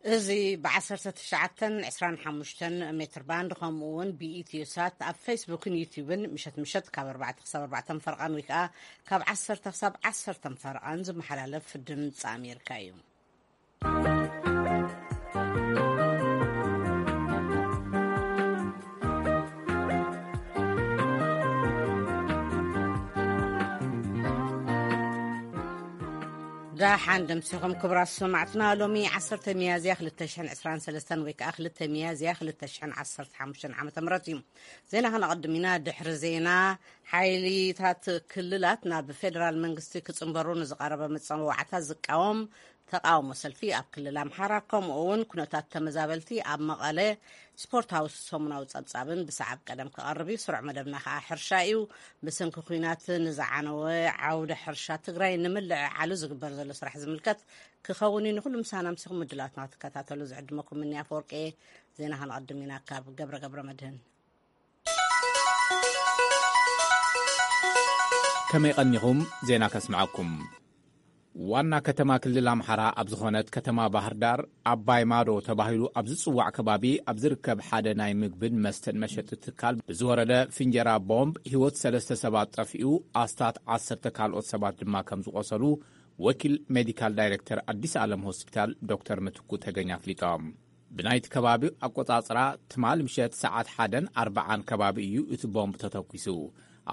እዚ ብ19 25 ሜትር ባንድ፣ ከምኡ እውን ብኢትዮ ሳት ኣብ ፌስቡክን ዩቲዩብን ምሸት ምሸት ካብ ኣርባዕተ ክሳብ ኣርባዕተ ፈርቓን፣ ወይ ከዓ ካብ ዓሰርተ ክሳብ ዓሰርተ ፈርቓን ዝመሓላለፍ ድምፂ ኣሜሪካ እዩ። ደሓን ደምሲኹም ክቡራት ሰማዕትና። ሎሚ ዓሰርተ ሚያዝያ ክልተ ሽሕን ዕስራን ሰለስተን ወይ ከዓ ክልተ ሚያዝያ ክልተ ሽሕን ዓሰርተ ሓሙሽተን ዓመተ ምህረት እዩ። ዜና ከነቐድም ኢና። ድሕሪ ዜና፣ ሓይሊታት ክልላት ናብ ፌደራል መንግስቲ ክጽንበሩ ንዝቐረበ መጸዋዕታ ዝቃወም ተቃውሞ ሰልፊ ኣብ ክልል ኣምሓራ፣ ከምኡ እውን ኩነታት ተመዛበልቲ ኣብ መቐለ፣ ስፖርታዊ ሰሙናዊ ጸብጻብን ብሰዓብ ቀደም ክቐርብ እዩ። ስሩዕ መደብና ከኣ ሕርሻ እዩ። ብሰንኪ ኲናት ንዝዓነወ ዓውደ ሕርሻ ትግራይ ንምልዕዓሉ ዝግበር ዘሎ ስራሕ ዝምልከት ክኸውን እዩ። ንኹሉ ምሳና ምሲኹም ምድላትና ክትከታተሉ ዝዕድመኩም ምንያ ኣፈወርቂ። ዜና ከነቐድም ኢና ካብ ገብረ ገብረ መድህን። ከመይ ቀኒኹም? ዜና ከስምዓኩም። ዋና ከተማ ክልል ኣምሓራ ኣብ ዝኾነት ከተማ ባህር ዳር፣ ኣባይ ማዶ ተባሂሉ ኣብ ዝጽዋዕ ከባቢ ኣብ ዝርከብ ሓደ ናይ ምግብን መስተን መሸጢ ትካል ብዝወረደ ፍንጀራ ቦምብ ህይወት ሰለስተ ሰባት ጠፊኡ፣ ኣስታት ዓሰርተ ካልኦት ሰባት ድማ ከም ዝቖሰሉ ወኪል ሜዲካል ዳይሬክተር ኣዲስ ዓለም ሆስፒታል ዶክተር ምትኩ ተገኝ ኣፍሊጦም። ብናይቲ ከባቢ ኣቆጻጽራ፣ ትማል ምሸት ሰዓት ሓደን ኣርባዓን ከባቢ እዩ እቲ ቦምብ ተተኲሱ።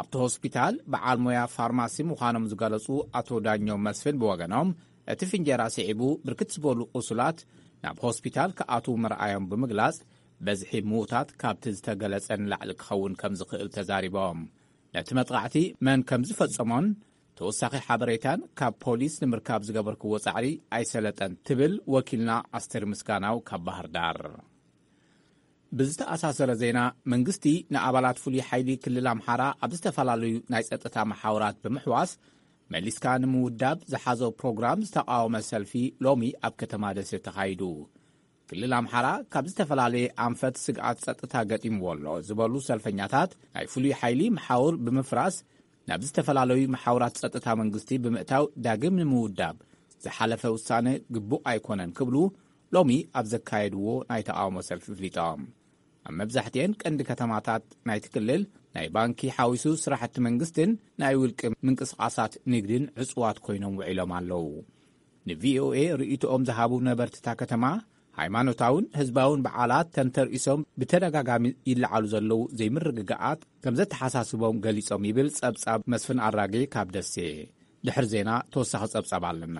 ኣብቲ ሆስፒታል በዓል ሞያ ፋርማሲ ምዃኖም ዝገለጹ ኣቶ ዳኘው መስፍን ብወገኖም፣ እቲ ፍንጀራ ስዒቡ ብርክት ዝበሉ ቁሱላት ናብ ሆስፒታል ክኣትዉ ምርኣዮም ብምግላጽ፣ በዝሒ ምዉታት ካብቲ ዝተገለጸ ንላዕሊ ክኸውን ከም ዝኽእል ተዛሪቦም። ነቲ መጥቓዕቲ መን ከም ዝፈጸሞን ተወሳኺ ሓበሬታን ካብ ፖሊስ ንምርካብ ዝገበርክዎ ጻዕሪ ኣይሰለጠን፣ ትብል ወኪልና ኣስቴር ምስጋናው ካብ ባህር ዳር። ብዝተኣሳሰረ ዜና፣ መንግስቲ ንኣባላት ፍሉይ ሓይሊ ክልል ኣምሓራ ኣብ ዝተፈላለዩ ናይ ጸጥታ መሓውራት ብምሕዋስ መሊስካ ንምውዳብ ዝሓዞ ፕሮግራም ዝተቃወመ ሰልፊ ሎሚ ኣብ ከተማ ደሴ ተኻይዱ። ክልል ኣምሓራ ካብ ዝተፈላለየ ኣንፈት ስግኣት ጸጥታ ገጢምዎ ኣሎ ዝበሉ ሰልፈኛታት፣ ናይ ፍሉይ ሓይሊ መሓውር ብምፍራስ ናብ ዝተፈላለዩ መሓውራት ጸጥታ መንግስቲ ብምእታው ዳግም ንምውዳብ ዝሓለፈ ውሳነ ግቡእ ኣይኮነን ክብሉ ሎሚ ኣብ ዘካየድዎ ናይ ተቃውሞ ሰልፊ ኣፍሊጦም። ኣብ መብዛሕትኤን ቀንዲ ከተማታት ናይቲ ክልል ናይ ባንኪ ሓዊሱ ስራሕቲ መንግስትን ናይ ውልቂ ምንቅስቃሳት ንግድን ዕጹዋት ኮይኖም ውዒሎም ኣለዉ። ንቪኦኤ ርእይቶኦም ዝሃቡ ነበርትታ ከተማ፣ ሃይማኖታውን ህዝባውን በዓላት ተንተርኢሶም ብተደጋጋሚ ይለዓሉ ዘለዉ ዘይምርግጋኣት ከም ዘተሓሳስቦም ገሊጾም ይብል ጸብጻብ መስፍን ኣራጌ ካብ ደሴ። ድሕሪ ዜና ተወሳኺ ጸብጻብ ኣለና።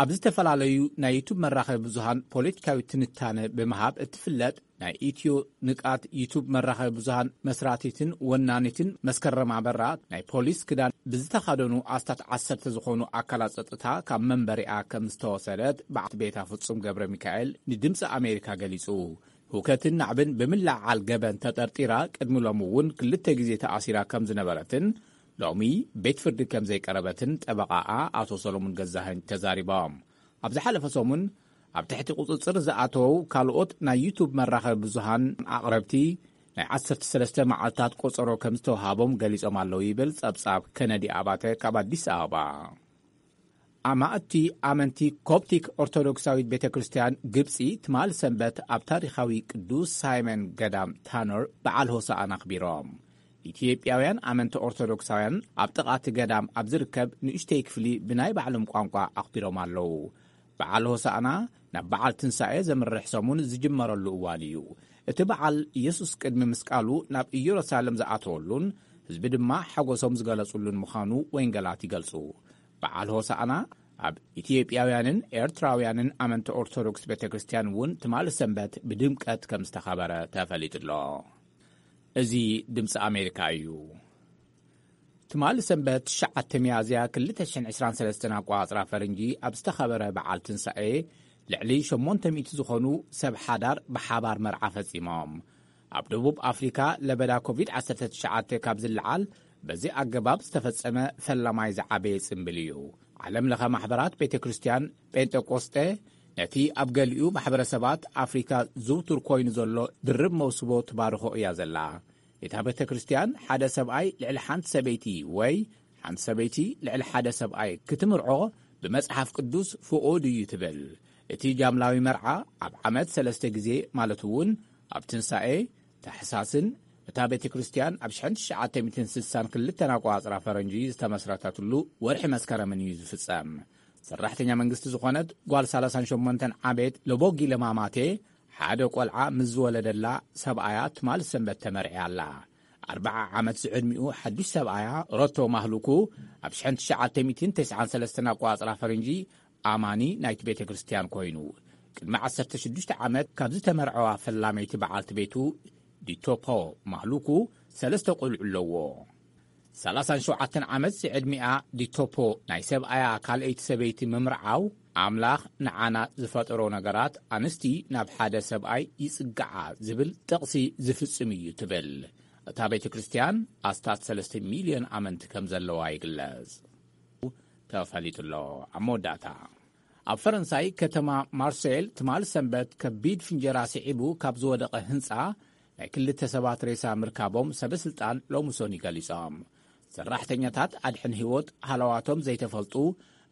ኣብ ዝተፈላለዩ ናይ ዩቱብ መራኸቢ ብዙሃን ፖለቲካዊ ትንታነ ብምሃብ እትፍለጥ ናይ ኢትዮ ንቃት ዩቱብ መራኸቢ ብዙሃን መስራቲትን ወናኒትን መስከረም ኣበራ፣ ናይ ፖሊስ ክዳን ብዝተኸደኑ ኣስታት ዓሰርተ ዝኾኑ ኣካላት ጸጥታ ካብ መንበሪኣ ከም ዝተወሰደት በዓልቲ ቤታ ፍጹም ገብረ ሚካኤል ንድምፂ ኣሜሪካ ገሊጹ። ህውከትን ናዕብን ብምልዓል ገበን ተጠርጢራ ቅድሚ ሎሚ እውን ክልተ ግዜ ተኣሲራ ከም ዝነበረትን ሎሚ ቤት ፍርዲ ከም ዘይቀረበትን ጠበቓኣ ኣቶ ሰሎሙን ገዛኸኝ ተዛሪቦም። ኣብ ዝሓለፈ ሰሙን ኣብ ትሕቲ ቁጽጽር ዝኣተዉ ካልኦት ናይ ዩቱብ መራኸቢ ብዙሃን ኣቕረብቲ ናይ ዓሰርተ ሰለስተ መዓልታት ቆጸሮ ከም ዝተውሃቦም ገሊጾም ኣለዉ ይብል ጸብጻብ ከነዲ ኣባተ ካብ ኣዲስ ኣበባ። ኣማእቲ ኣመንቲ ኮፕቲክ ኦርቶዶክሳዊት ቤተ ክርስቲያን ግብጺ ትማል ሰንበት ኣብ ታሪኻዊ ቅዱስ ሳይመን ገዳም ታኖር በዓል ሆሳዕና ኣኽቢሮም። ኢትዮጵያውያን ኣመንቲ ኦርቶዶክሳውያን ኣብ ጥቓ እቲ ገዳም ኣብ ዝርከብ ንእሽተይ ክፍሊ ብናይ ባዕሎም ቋንቋ ኣኽቢሮም ኣለዉ። በዓል ሆሳዕና ናብ በዓል ትንሳኤ ዘምርሕ ሰሙን ዝጅመረሉ እዋን እዩ። እቲ በዓል ኢየሱስ ቅድሚ ምስቃሉ ናብ ኢየሩሳሌም ዝኣተወሉን ህዝቢ ድማ ሓጎሶም ዝገለጹሉን ምዃኑ ወንጌላት ይገልጹ። በዓል ሆሳዕና ኣብ ኢትዮጵያውያንን ኤርትራውያንን ኣመንቲ ኦርቶዶክስ ቤተ ክርስቲያን እውን ትማሊ ሰንበት ብድምቀት ከም ዝተኸበረ ተፈሊጡ ኣሎ። እዚ ድምፂ ኣሜሪካ እዩ። ትማሊ ሰንበት ትሽዓተ ሚያዝያ ክልተ ሽሕን ዕስራን ሰለስተን ኣቆጻጽራ ፈረንጂ ኣብ ዝተኸበረ በዓል ትንሳኤ ልዕሊ ሸሞንተ ሚእቲ ዝኾኑ ሰብ ሓዳር ብሓባር መርዓ ፈጺሞም። ኣብ ደቡብ ኣፍሪካ ለበዳ ኮቪድ ዓሰርተ ትሽዓተ ካብ ዝለዓል በዚ ኣገባብ ዝተፈጸመ ፈላማይ ዝዓበየ ጽምብል እዩ። ዓለም ለኸ ማሕበራት ቤተ ክርስቲያን ጴንጠቆስጠ ነቲ ኣብ ገሊኡ ማሕበረሰባት ኣፍሪካ ዝውቱር ኮይኑ ዘሎ ድርብ መውስቦ ትባርኾ እያ ዘላ። እታ ቤተ ክርስቲያን ሓደ ሰብኣይ ልዕሊ ሓንቲ ሰበይቲ ወይ ሓንቲ ሰበይቲ ልዕሊ ሓደ ሰብኣይ ክትምርዖ ብመጽሓፍ ቅዱስ ፍቑድ እዩ ትብል። እቲ ጃምላዊ መርዓ ኣብ ዓመት ሰለስተ ግዜ፣ ማለት እውን ኣብ ትንሳኤ፣ ታሕሳስን እታ ቤተ ክርስቲያን ኣብ ሽሕን ትሽዓተ ሚእትን ስሳን ክልተን ኣቋጽራ ፈረንጂ ዝተመስረተትሉ ወርሒ መስከረምን እዩ ዝፍጸም። ሰራሕተኛ መንግስቲ ዝኾነት ጓል ሰላሳን ሸሞንተን ዓመት ለቦጊ ለማማቴ ሓደ ቆልዓ ምስ ዝወለደላ ሰብኣያ ትማል ሰንበት ተመርዕያ ኣላ። ኣርብዓ ዓመት ዝዕድሚኡ ሓዱሽ ሰብኣያ ሮቶ ማህሉኩ ኣብ ሽሕን ትሽዓተ ሚእትን ተስዓን ሰለስተን ኣቋጽራ ፈረንጂ ኣማኒ ናይቲ ቤተ ክርስቲያን ኮይኑ፣ ቅድሚ ዓሰርተ ሽዱሽተ ዓመት ካብ ዝተመርዐዋ ፈላመይቲ በዓልቲ ቤቱ ዲቶፖ ማህሉኩ ሰለስተ ቆልዑ ኣለዎ። ሰላሳን ሸውዓተን ዓመት ዝዕድሚኣ ዲቶፖ ናይ ሰብኣያ ካልኣይቲ ሰበይቲ ምምርዓው፣ ኣምላኽ ንዓና ዝፈጠሮ ነገራት ኣንስቲ ናብ ሓደ ሰብኣይ ይጽግዓ ዝብል ጥቕሲ ዝፍጽም እዩ ትብል። እታ ቤተ ክርስቲያን ኣስታት ሰለስተ ሚልዮን ኣመንቲ ከም ዘለዋ ይግለጽ። ተፈሊጡ ኣሎ። ኣብ መወዳእታ፣ ኣብ ፈረንሳይ ከተማ ማርሴል ትማል ሰንበት ከቢድ ፍንጀራ ስዒቡ ካብ ዝወደቐ ህንጻ ናይ ክልተ ሰባት ሬሳ ምርካቦም ሰበ ስልጣን ሎሚ ሶኒ ገሊጾም። ሰራሕተኛታት ኣድሕን ህይወት ሃለዋቶም ዘይተፈልጡ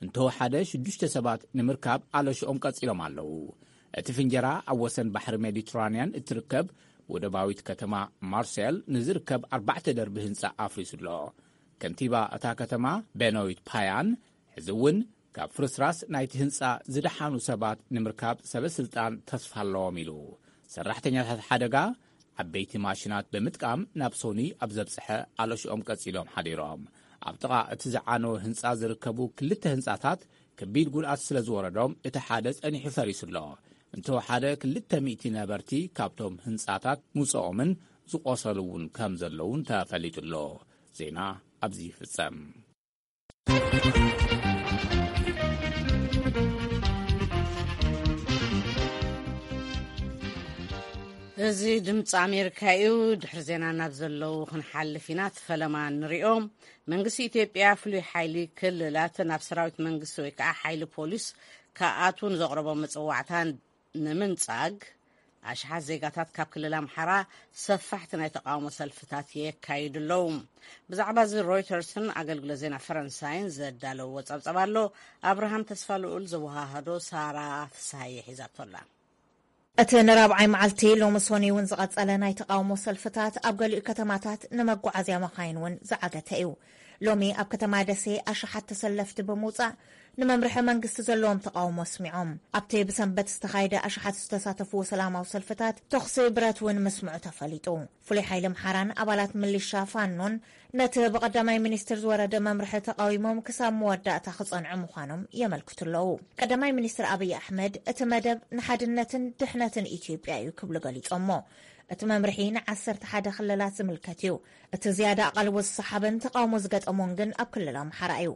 እንተወሓደ ሽዱሽተ ሰባት ንምርካብ ኣለሽኦም ቀጺሎም ኣለዉ። እቲ ፍንጀራ ኣብ ወሰን ባሕሪ ሜዲትራንያን እትርከብ ወደባዊት ከተማ ማርሴል ንዝርከብ ኣርባዕተ ደርቢ ህንጻ ኣፍሪሱ ኣሎ። ከንቲባ እታ ከተማ ቤኖይት ፓያን፣ ሕዚ እውን ካብ ፍርስራስ ናይቲ ህንጻ ዝደሓኑ ሰባት ንምርካብ ሰበ ስልጣን ተስፋ ኣለዎም ኢሉ። ሰራሕተኛታት ሓደጋ ዓበይቲ ማሽናት ብምጥቃም ናብ ሶኒ ኣብ ዘብጽሐ ኣለሽኦም ቀጺሎም ሓዲሮም። ኣብ ጥቓ እቲ ዝዓነወ ህንጻ ዝርከቡ ክልተ ህንጻታት ከቢድ ጉድኣት ስለ ዝወረዶም፣ እቲ ሓደ ጸኒሑ ፈሪሱ ኣሎ። እንተወሓደ ክልተ ሚእቲ ነበርቲ ካብቶም ህንጻታት ምውጽኦምን ዝቖሰሉ እውን ከም ዘለውን ተፈሊጡ ኣሎ። ዜና ኣብዚ ይፍጸም። እዚ ድምፂ ኣሜሪካ እዩ። ድሕሪ ዜና ናብ ዘለዉ ክንሓልፍ ኢና። እቲ ፈለማ ንሪኦ። መንግስቲ ኢትዮጵያ ፍሉይ ሓይሊ ክልላት ናብ ሰራዊት መንግስቲ ወይ ከዓ ሓይሊ ፖሊስ ክኣትዉ ንዘቕረቦ መፅዋዕታ ንምንጻግ ኣሽሓት ዜጋታት ካብ ክልል ኣምሓራ ሰፋሕቲ ናይ ተቃውሞ ሰልፍታት የካይዱ ኣለዉ። ብዛዕባ እዚ ሮይተርስን ኣገልግሎት ዜና ፈረንሳይን ዘዳለውዎ ጸብጸብ ኣሎ። ኣብርሃም ተስፋ ልኡል ዘወሃሃዶ ሳራ ፍስሃየ ሒዛቶ ኣላ። እቲ ንራብዓይ መዓልቲ ሎሚ ሶኒ እውን ዝቐጸለ ናይ ተቃውሞ ሰልፍታት ኣብ ገሊኡ ከተማታት ንመጓዓዝያ መኻይን እውን ዝዓገተ እዩ። ሎሚ ኣብ ከተማ ደሴ ኣሽሓት ተሰለፍቲ ብምውጻእ ንመምርሒ መንግስቲ ዘለዎም ተቃውሞ ኣስሚዖም። ኣብቲ ብሰንበት ዝተኻየደ ኣሽሓት ዝተሳተፍዎ ሰላማዊ ሰልፍታት ተኹሲ ብረት እውን ምስምዑ ተፈሊጡ። ፍሉይ ሓይሊ ኣምሓራን ኣባላት ምሊሻ ፋኖን ነቲ ብቀዳማይ ሚኒስትር ዝወረደ መምርሒ ተቃዊሞም ክሳብ መወዳእታ ክጸንዑ ምዃኖም የመልክቱ ኣለዉ። ቀዳማይ ሚኒስትር ኣብይ ኣሕመድ እቲ መደብ ንሓድነትን ድሕነትን ኢትዮጵያ እዩ ክብሉ ገሊጾሞ። እቲ መምርሒ ንዓሰርተ ሓደ ክልላት ዝምልከት እዩ። እቲ ዝያዳ ኣቓልቦ ዝሰሓበን ተቃውሞ ዝገጠሞን ግን ኣብ ክልል ኣምሓራ እዩ።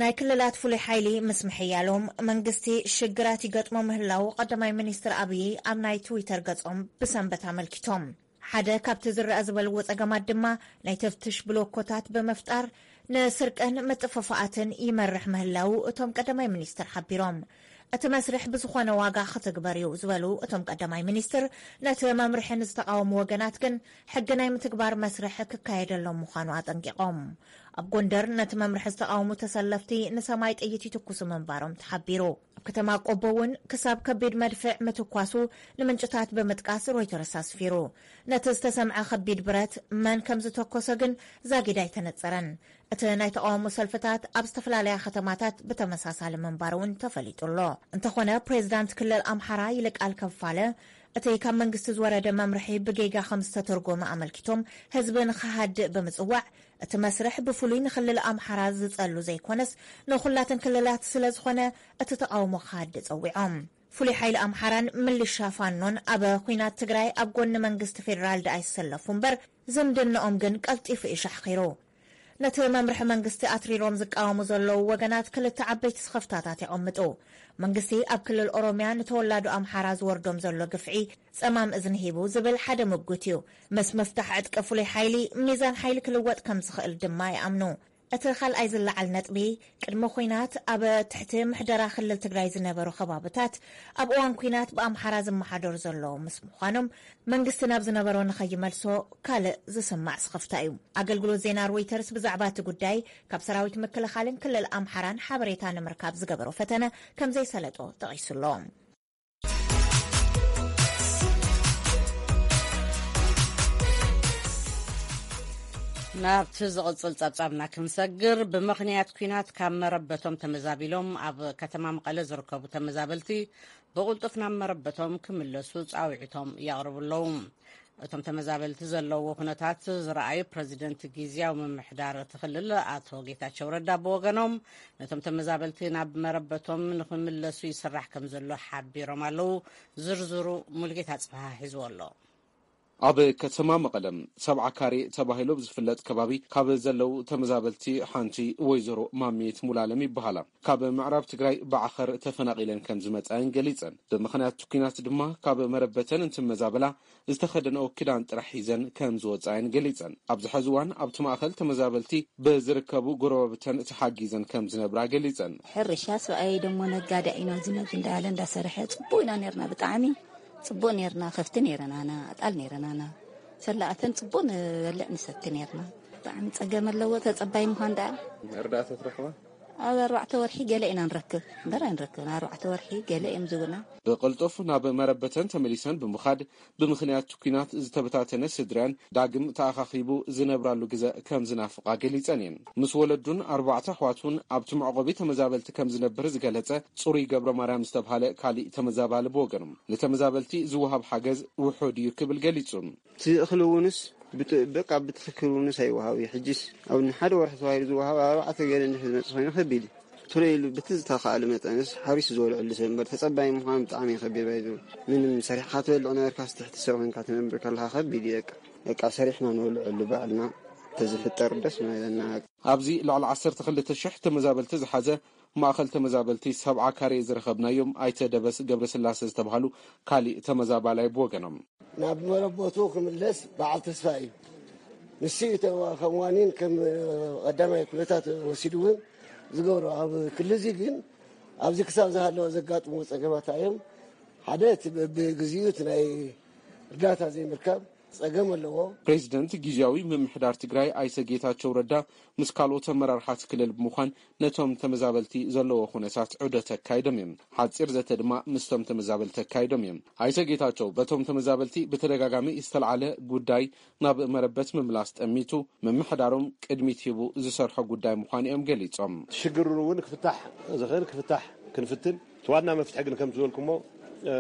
ናይ ክልላት ፍሉይ ሓይሊ ምስ ምሕያሎም መንግስቲ ሽግራት ይገጥሞ ምህላዉ ቀዳማይ ሚኒስትር ኣብይ ኣብ ናይ ትዊተር ገጾም ብሰንበት ኣመልኪቶም። ሓደ ካብቲ ዝረኣ ዝበልዎ ጸገማት ድማ ናይ ተፍትሽ ብሎኮታት ብምፍጣር ንስርቅን ምጥፍፋኣትን ይመርሕ ምህላዉ እቶም ቀዳማይ ሚኒስትር ሓቢሮም። እቲ መስርሕ ብዝኾነ ዋጋ ክትግበር እዩ ዝበሉ እቶም ቀዳማይ ሚኒስትር፣ ነቲ መምርሒ ንዝተቃወሙ ወገናት ግን ሕጊ ናይ ምትግባር መስርሕ ክካየደሎም ምዃኑ ኣጠንቂቖም። ኣብ ጎንደር ነቲ መምርሒ ዝተቃወሙ ተሰለፍቲ ንሰማይ ጥይት ይትኩሱ ምንባሮም ተሓቢሩ። ኣብ ከተማ ቆቦ እውን ክሳብ ከቢድ መድፍዕ ምትኳሱ ንምንጭታት ብምጥቃስ ሮይተርስ ኣስፊሩ። ነቲ ዝተሰምዐ ከቢድ ብረት መን ከም ዝተኮሰ ግን ዛጊድ ኣይተነጸረን። እቲ ናይ ተቃውሞ ሰልፍታት ኣብ ዝተፈላለያ ከተማታት ብተመሳሳሊ ምንባር እውን ተፈሊጡ ኣሎ። እንተኾነ ፕሬዚዳንት ክልል ኣምሓራ ይልቃል ከፋለ እቲ ካብ መንግስቲ ዝወረደ መምርሒ ብጌጋ ከም ዝተተርጎመ ኣመልኪቶም ህዝቢ ንኽሃድእ ብምጽዋዕ እቲ መስርሕ ብፍሉይ ንክልል ኣምሓራ ዝጸሉ ዘይኮነስ ንኹላትን ክልላት ስለ ዝኾነ እቲ ተቃውሞ ክሃድእ ጸዊዖም። ፍሉይ ሓይሊ ኣምሓራን ምልሻ ፋኖን ኣብ ኲናት ትግራይ ኣብ ጎኒ መንግስቲ ፌዴራል ደኣ ይሰለፉ እምበር ዝምድንኦም ግን ቀልጢፉ እዩ ሻሕኺሩ። ነቲ መምርሒ መንግስቲ ኣትሪሮም ዝቃወሙ ዘለዉ ወገናት ክልተ ዓበይቲ ስኽፍታታት የቐምጡ። መንግስቲ ኣብ ክልል ኦሮምያ ንተወላዶ ኣምሓራ ዝወርዶም ዘሎ ግፍዒ ጸማም እዝኒ ሂቡ ዝብል ሓደ ምጉት እዩ። ምስ ምፍታሕ ዕጥቂ ፍሉይ ሓይሊ ሚዛን ሓይሊ ክልወጥ ከም ዝኽእል ድማ ይኣምኑ። እቲ ካልኣይ ዝለዓል ነጥቢ፣ ቅድሚ ኲናት ኣብ ትሕቲ ምሕደራ ክልል ትግራይ ዝነበሩ ከባብታት ኣብ እዋን ኲናት ብኣምሓራ ዝመሓደሩ ዘለዉ ምስ ምዃኖም መንግስቲ ናብ ዝነበሮ ንኸይመልሶ ካልእ ዝስማዕ ስኽፍታ እዩ። ኣገልግሎት ዜና ሮይተርስ ብዛዕባ እቲ ጉዳይ ካብ ሰራዊት ምክልኻልን ክልል ኣምሓራን ሓበሬታ ንምርካብ ዝገበሮ ፈተነ ከም ዘይሰለጦ ጠቒሱ ኣሎ። ናብቲ ዝቕጽል ጸብጻብና ክንሰግር፣ ብምኽንያት ኲናት ካብ መረበቶም ተመዛቢሎም ኣብ ከተማ መቐለ ዝርከቡ ተመዛበልቲ ብቕልጡፍ ናብ መረበቶም ክምለሱ ጻውዒቶም የቕርቡ ኣለዉ። እቶም ተመዛበልቲ ዘለውዎ ኩነታት ዝረኣዩ ፕረዚደንት ግዝያዊ ምምሕዳር እቲ ክልል ኣቶ ጌታቸው ረዳ ብወገኖም፣ ነቶም ተመዛበልቲ ናብ መረበቶም ንኽምለሱ ይስራሕ ከም ዘሎ ሓቢሮም ኣለዉ። ዝርዝሩ ሙልጌታ ጽብሃ ሒዝዎ ኣሎ። ኣብ ከተማ መቐለ ሰብዓ ካሬ ተባሂሉ ዝፍለጥ ከባቢ ካብ ዘለዉ ተመዛበልቲ ሓንቲ ወይዘሮ ማሜት ሙላለም ይበሃላ። ካብ ምዕራብ ትግራይ ብዓኸር ተፈናቒለን ከም ዝመጻየን ገሊጸን። ብምኽንያት ኲናት ድማ ካብ መረበተን እንትመዛበላ ዝተኸደነኦ ክዳን ጥራሕ ሒዘን ከም ዝወጻየን ገሊጸን። ኣብዚ ሕዚ እዋን ኣብቲ ማእኸል ተመዛበልቲ ብዝርከቡ ጎረባብተን ተሓጊዘን ከም ዝነብራ ገሊጸን። ሕርሻ ሰብኣየይ ደሞ ነጋዳይ ኢና፣ ዝነግ እንዳለ እንዳሰርሐ ጽቡቅ ኢና ነርና፣ ብጣዕሚ ጽቡቅ ነርና። ከፍቲ ነረናና፣ ኣጣል ነረናና፣ ሰላኣተን ጽቡቅ ንበልዕ ንሰቲ ነርና። ብጣዕሚ ጸገም ኣለዎ ተጸባይ ምዃን ደኣ። እርዳእታ ትረኽባ? ኣብ ኣርባዕተ ወርሒ ገለ ኢና ንረክብ እምበር ኣይንረክብን። ኣርባዕተ ወርሒ ገለ እዮም ዝብና። ብቕልጡፍ ናብ መረበተን ተመሊሰን ብምኻድ፣ ብምኽንያት ኲናት ዝተበታተነ ስድራን ዳግም ተኣኻኺቡ ዝነብራሉ ግዘ ከም ዝናፍቓ ገሊጸን እየን። ምስ ወለዱን ኣርባዕተ ኣሕዋቱን ኣብቲ መዕቆቢ ተመዛበልቲ ከም ዝነብር ዝገለጸ ጽሩይ ገብረ ማርያም ዝተብሃለ ካሊእ ተመዛባሊ ብወገኑ፣ ንተመዛበልቲ ዝወሃብ ሓገዝ ውሑድ እዩ ክብል ገሊጹ። እቲ እኽሊ እውንስ ብጥ-፣ በቃ ብትኽክል እውንስ ኣይወሃብ እዩ። ሕጂስ ኣብ ንሓደ ወርሒ ተባሂሉ ዝወሃብ ኣብ ኣርባዕተ ገለ እንድሕር ዝመጽእ ኮይኑ ከቢድ እዩ። ቶሎ ኢሉ በቲ ዝተኻእለ መጠንስ ሓሪሱ ዝበልዐሉ ሰብ እምበር ተጸባይ ምዃን ብጣዕሚ እዩ ከቢድ ባይዘው። ምንም ሰሪሕካ ትበልዕ ነበርካስ ትሕቲ ሰብ ኮይንካ ትነብር ከለኻ ከቢድ እዩ በቃ። በቃ ሰሪሕና ንበልዐሉ ባዕልና ተዝፍጠር ደስ ምበለና። ኣብዚ ልዕሊ ዓሰርተ ክልተ ሽሕ ተመዛበልቲ ዝሓዘ ማእኸል ተመዛበልቲ ሰብዓ ካሬ ዝረኸብናዮም ኣይተ ደበስ ገብረስላሴ ዝተባህሉ ካሊእ ተመዛባላይ ብወገኖም፣ ናብ መረበቱ ክምለስ በዓል ተስፋ እዩ። ንሱ እዩ ተ-፣ ከም ዋኒን ከም ቀዳማይ ኩነታት ወሲዱ እውን ዝገብሮ። ኣብ ክልዚ ግን ኣብዚ ክሳብ ዝሃለወ ዘጋጥሙ ጸገማት እዮም። ሓደ እቲ በብግዚኡ እቲ ናይ እርዳታ ዘይምርካብ ጸገም ኣለዎ። ፕሬዚደንት ግዝያዊ ምምሕዳር ትግራይ ኣይተ ጌታቸው ረዳ ምስ ካልኦት ኣመራርሓት ክልል ብምዃን ነቶም ተመዛበልቲ ዘለዎ ኩነታት ዑደት ኣካይዶም እዮም። ሓጺር ዘተ ድማ ምስቶም ተመዛበልቲ ኣካይዶም እዮም። ኣይተ ጌታቸው በቶም ተመዛበልቲ ብተደጋጋሚ ዝተልዓለ ጉዳይ ናብ መረበት ምምላስ ጠሚቱ፣ ምምሕዳሮም ቅድሚት ሂቡ ዝሰርሖ ጉዳይ ምዃኑ እዮም ገሊጾም። ሽግሩ እውን ክፍታሕ ዝኽእል ክፍታሕ ክንፍትን፣ እቲ ዋና መፍትሒ ግን ከምቲ ዝበልኩሞ፣ እ፣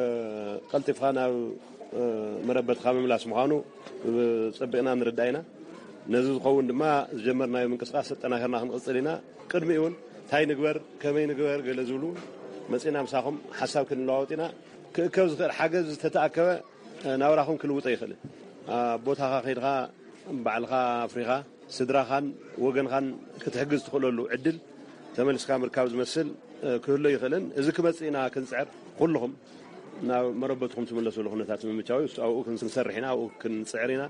ቀልጢፍካ ናብ፣ እ፣ መረበትካ ምምላስ ምዃኑ፣ እ፣ ጸቢቕና ንርዳእ ኢና። ነዚ ዝኸውን ድማ ዝጀመርናዮ ምንቅስቃስ ኣጠናኺርና ክንቕጽል ኢና። ቅድሚኡ እውን እንታይ ንግበር፣ ከመይ ንግበር ገለ ዝብሉ እውን መጺእና ምሳኹም ሓሳብ ክንለዋወጥ ኢና። ክእከብ ዝኽእል ሓገዝ ዝተተኣከበ፣ እ፣ ናብራኹም ክልውጦ ይኽእል። ኣብ ቦታኻ ከይድኻ ባዕልኻ ኣፍሪኻ ስድራኻን ወገንኻን ክትሕግዝ ትኽእለሉ ዕድል ተመሊስካ ምርካብ ዝመስል፣ እ፣ ክህሎ ይኽእልን። እዚ ክመጽእ ኢና ክንጽዕር። ኩልኹም ናብ መረበትኩም ትምለሱሉ ኩነታት ንምምቻው እዩ። ኣብኡ ክንሰርሕ ኢና፣ ኣብኡ ክንጽዕር ኢና።